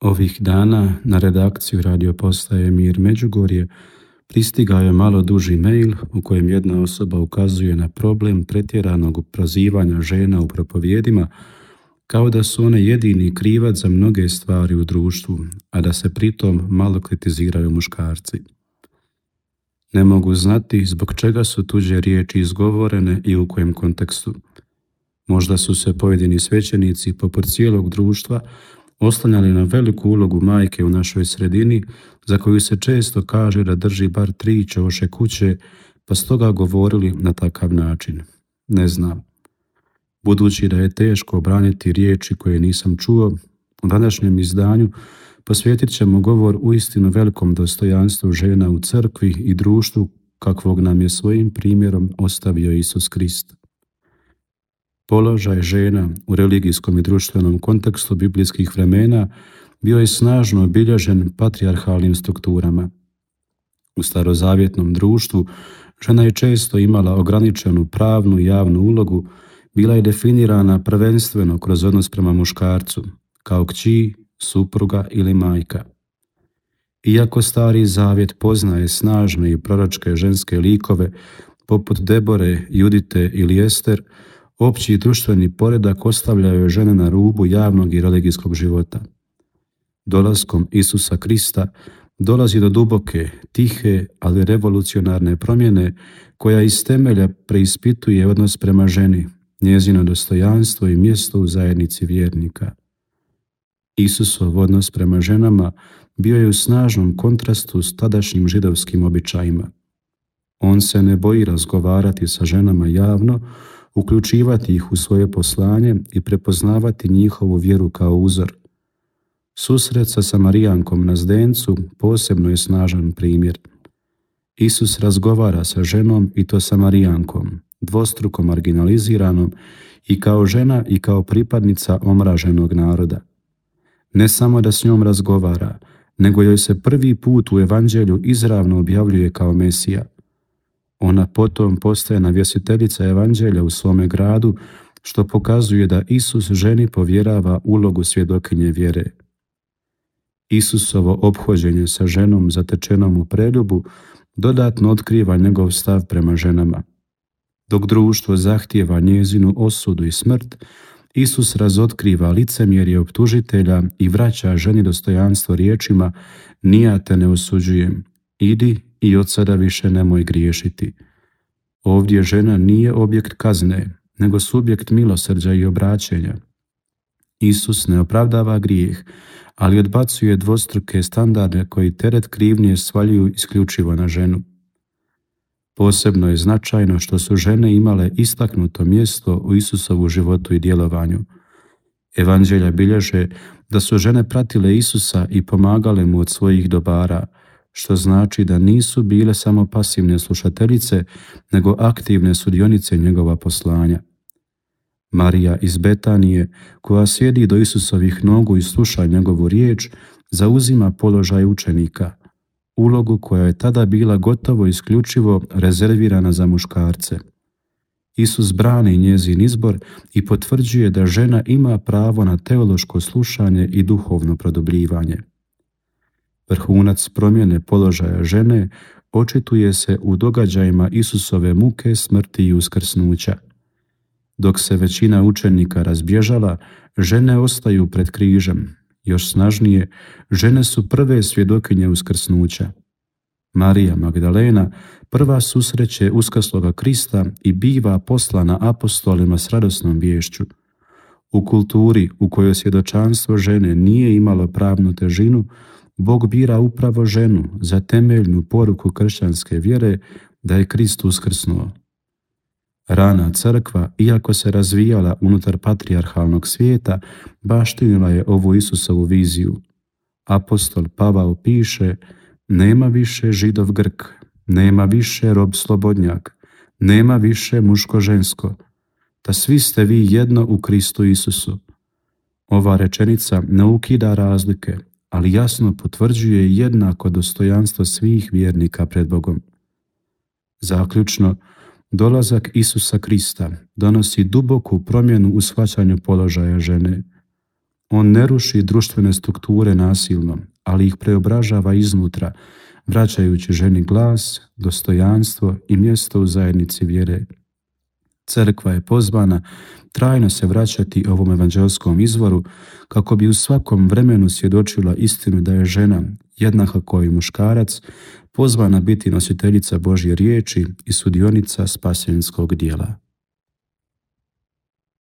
Ovih dana na redakciju radio postaje Mir Međugorje pristigao je malo duži mail u kojem jedna osoba ukazuje na problem pretjeranog prozivanja žena u propovijedima, kao da su one jedini krivac za mnoge stvari u društvu, a da se pritom malo kritiziraju muškarci. Ne mogu znati zbog čega su tuđe riječi izgovorene i u kojem kontekstu. Možda su se pojedini svećenici poput cijelog društva oslanjali na veliku ulogu majke u našoj sredini, za koju se često kaže da drži bar 3 ćoše kuće, pa stoga govorili na takav način. Ne znam. Budući da je teško obraniti riječi koje nisam čuo, u današnjem izdanju posvjetit ćemo govor uistinu velikom dostojanstvu žena u crkvi i društvu kakvog nam je svojim primjerom ostavio Isus Krist. Položaj žena u religijskom i društvenom kontekstu biblijskih vremena bio je snažno obilježen patrijarhalnim strukturama. U starozavjetnom društvu žena je često imala ograničenu pravnu i javnu ulogu, bila je definirana prvenstveno kroz odnos prema muškarcu, kao kći, supruga ili majka. Iako Stari Zavjet poznaje snažne i proročke ženske likove poput Debore, Judite ili Ester, opći društveni poredak ostavljaju žene na rubu javnog i religijskog života. Dolaskom Isusa Krista dolazi do duboke, tihe, ali revolucionarne promjene koja iz temelja preispituje odnos prema ženi, njezino dostojanstvo i mjesto u zajednici vjernika. Isusov odnos prema ženama bio je u snažnom kontrastu s tadašnjim židovskim običajima. On se ne boji razgovarati sa ženama javno, uključivati ih u svoje poslanje i prepoznavati njihovu vjeru kao uzor. Susret sa Samarijankom na zdencu posebno je snažan primjer. Isus razgovara sa ženom i to Samarijankom, dvostruko marginaliziranom i kao žena i kao pripadnica omraženog naroda. Ne samo da s njom razgovara, nego joj se prvi put u evanđelju izravno objavljuje kao Mesija. Ona potom postaje navjestiteljica evanđelja u svome gradu, što pokazuje da Isus ženi povjerava ulogu svjedokinje vjere. Isusovo ophođenje sa ženom zatečenom u preljubu dodatno otkriva njegov stav prema ženama. Dok društvo zahtijeva njezinu osudu i smrt, Isus razotkriva licemjerje optužitelja i vraća ženi dostojanstvo riječima: "Ni ja te ne osuđujem, idi i od sada više nemoj griješiti." Ovdje žena nije objekt kazne, nego subjekt milosrđa i obraćenja. Isus ne opravdava grijeh, ali odbacuje dvostruke standarde koji teret krivnje svaljuju isključivo na ženu. Posebno je značajno što su žene imale istaknuto mjesto u Isusovu životu i djelovanju. Evanđelja bilježe da su žene pratile Isusa i pomagale mu od svojih dobara, što znači da nisu bile samo pasivne slušateljice, nego aktivne sudionice njegova poslanja. Marija iz Betanije, koja sjedi do Isusovih nogu i sluša njegovu riječ, zauzima položaj učenika, ulogu koja je tada bila gotovo isključivo rezervirana za muškarce. Isus brani njezin izbor i potvrđuje da žena ima pravo na teološko slušanje i duhovno produbljivanje. Vrhunac promjene položaja žene očituje se u događajima Isusove muke, smrti i uskrsnuća. Dok se većina učenika razbježala, žene ostaju pred križem. Još snažnije, žene su prve svjedokinje uskrsnuća. Marija Magdalena prva susreće uskrsloga Krista i biva poslana apostolima s radosnom viješću. U kulturi u kojoj svjedočanstvo žene nije imalo pravnu težinu, Bog bira upravo ženu za temeljnu poruku kršćanske vjere da je Krist uskrsnuo. Rana crkva, iako se razvijala unutar patrijarhalnog svijeta, baštinila je ovu Isusovu viziju. Apostol Pavao piše: "Nema više Židov Grk, nema više rob slobodnjak, nema više muško-žensko, ta svi ste vi jedno u Kristu Isusu." Ova rečenica ne ukida razlike, ali jasno potvrđuje jednako dostojanstvo svih vjernika pred Bogom. Zaključno, dolazak Isusa Krista donosi duboku promjenu u shvaćanju položaja žene. On ne ruši društvene strukture nasilno, ali ih preobražava iznutra, vraćajući ženi glas, dostojanstvo i mjesto u zajednici vjere. Crkva je pozvana trajno se vraćati ovom evanđelskom izvoru kako bi u svakom vremenu svjedočila istinu da je žena, jednaka kao i muškarac, pozvana biti nositeljica Božje riječi i sudionica spasenskog djela.